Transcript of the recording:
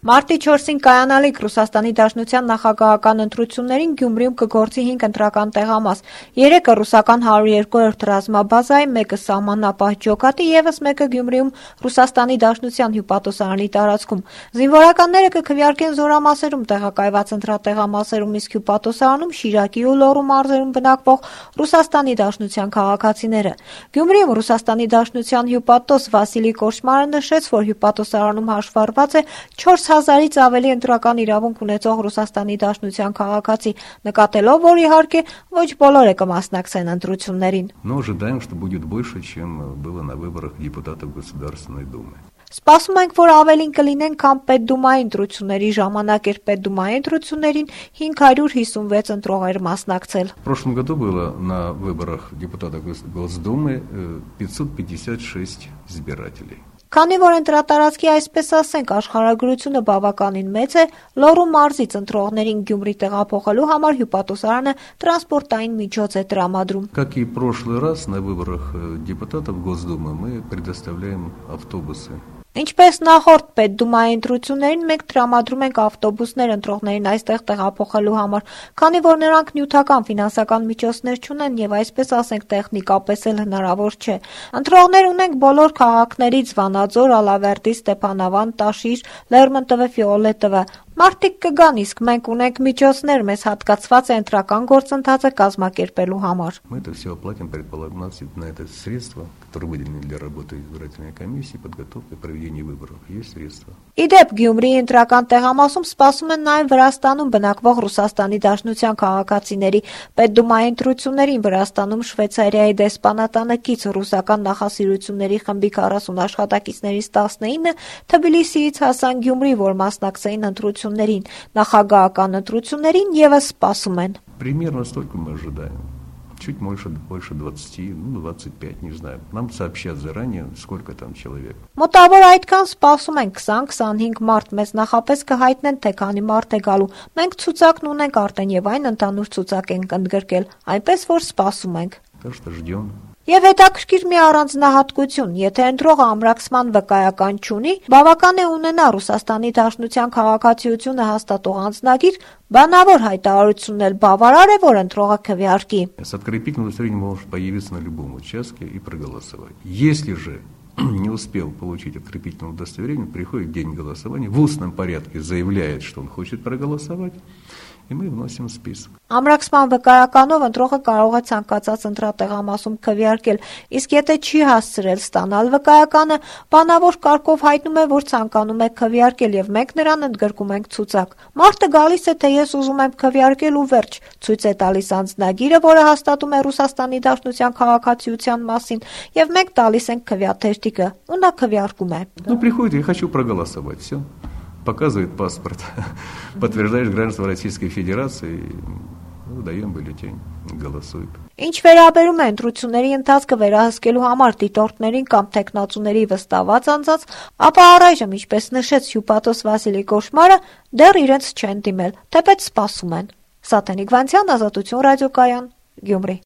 Մարտի 4-ին կայանալիք Ռուսաստանի Դաշնության նախագահական ընտրություններին Գյումրիում կգործի 5 ընտրական տեղամաս, 3-ը ռուսական 102-րդ ռազմաբազայի, 1-ը սահմանապահ ջոկատի, ևս 1-ը Գյումրիում Ռուսաստանի Դաշնության հյուպատոսարանի տարածքում։ Զինվորականները կքվեարկեն զորամասերում տեղակայված ընտրատեղամասերում, իսկ հյուպատոսարանում Շիրակի ու Լոռու մարզերում բնակվող Ռուսաստանի Դաշնության քաղաքացիները։ Գյումրիում Ռուսաստանի Դաշնության հյուպատոս Վասիլի Կոշմարը նշեց, որ հյուպատոսարանում հաշվառված է 4000-ից ավելի ընտրական իրավունք ունեցող Ռուսաստանի Դաշնության քաղաքացի, նկատելով, որ իհարկե ոչ բոլորը կմասնակցեն ընտրություններին։ Но ожидаем, что будет больше, чем было на выборах депутатов Государственной Думы. Սպասում ենք, որ ավելին կլինեն, քան պետդումայի ընտրությունների ժամանակ էր պետդումայի ընտրություններին 556 ընտրողեր մասնակցել։ В прошлом году было на выборах депутатов Госдумы 556 избирателей. Քանի որ ընտրատարածքի, այսպես ասենք, աշխարհագրությունը բավականին մեծ է, Լոռու մարզից ընտրողներին Գյումրի տեղափոխելու համար հյուպատոսարանը տրանսպորտային միջոց է տրամադրում։ Как и в прошлый раз на выборах депутатов Госдумы мы предоставляем автобусы. Ինչպես նախորդ պետդումայի ընտրություններին մենք տրամադրում ենք ավտոբուսներ ընտրողներին այստեղ տեղափոխելու համար, քանի որ նրանք նյութական ֆինանսական միջոցներ չունեն եւ այսպես ասենք տեխնիկապես էլ հնարավոր չէ։ Ընտրողներ ունենք բոլոր քաղաքներից՝ Վանաձոր, Ալավերդի, Ստեփանավան, Տաշիր, Լերմոնտովը, Ֆիոլետովը։ Մարդիկ կգան, իսկ մենք ունենք միջոցներ, մեզ հատկացված է ընտրական գործընթացը կազմակերպելու համար։ Мы это все оплатим, предполагаем, на это средства, которые выделены для работы избирательной комиссии, подготовки и проведения выборов. Есть средства. Իդեպ Գյումրիի ընտրական տեղամասում սպասում են նաև Վրաստանում բնակվող Ռուսաստանի Դաշնության քաղաքացիների պետդումայի ընտրություններին Վրաստանում Շվեյցարիայի դեսպանատանը կից ռուսական նախասիրությունների խմբի 40 աշխատակիցներից 19-ը Թբիլիսիից հասան Գյումրի, որ մասնակցեին ընտրություններին, նախագահական ընտրություններին ևս սպասում են։ Примерно столько мы ожидаем. Чуть больше 20, 25, не знаю. Нам сообщат заранее, сколько там человек. Մոտավոր այդքան սպասում են 20-25 մարդ, մեզ նախապես կհայտնեն, թե քանի մարդ է գալու։ Մենք ցուցակն ունենք արդեն եւ այն ընդհանուր ցուցակ ենք ընդգրկել, այնպես որ սպասում ենք։ Так что ждем. Եվ հետաքրքիր մի առանձնահատկություն, եթե ընտրողը ամրացման վկայական չունի, բավական է ունենա Ռուսաստանի Դաշնության քաղաքացիությունը հաստատող անձնագիր, բանավոր հայտարարությունն էլ բավարար է, որ ընտրողը քվեարկի։ С открепительным удостоверением может появиться на любом участке и проголосовать. Если же не успел получить открепительное удостоверение, приходит день голосования, в устном порядке заявляет, что он хочет проголосовать, и мы вносим список. Ամրացման վկայականով ընտրողը կարող է ցանկացած ընտրատեղամասում քվեարկել, իսկ եթե չի հասցրել ստանալ վկայականը, բանավոր կարգով հայտնում է, որ ցանկանում է քվեարկել եւ մենք նրան ընդգրկում ենք ցուցակ։ Մարդը գալիս է, թե ես ուզում եմ քվեարկել ու վերջ, ցույց է տալիս անձնագիրը, որը հաստատում է Ռուսաստանի Դաշնության քաղաքացիության մասին, եւ մենք տալիս ենք քվեաթերթիկը, ու նա քվեարկում է։ Ну, приходит, я хочу проголосовать, все. Показывает паспорт, подтверждаешь гражданство Российской Федерации, даем бюллетень, голосует. Ինչ վերաբերում է ընտրությունների ընթացքը վերահսկելու համար դիտորդներին կամ տեխնացուների վստահված անձանց, ապա առայժմ, ինչպես նշեց հյուպատոս Վասիլի Կոշմարը, դեռ իրենց չեն դիմել, թեպետ սպասում են։ Սաթենիկ Վանցյան, Ազատություն ռադիոկայան, Գյումրի։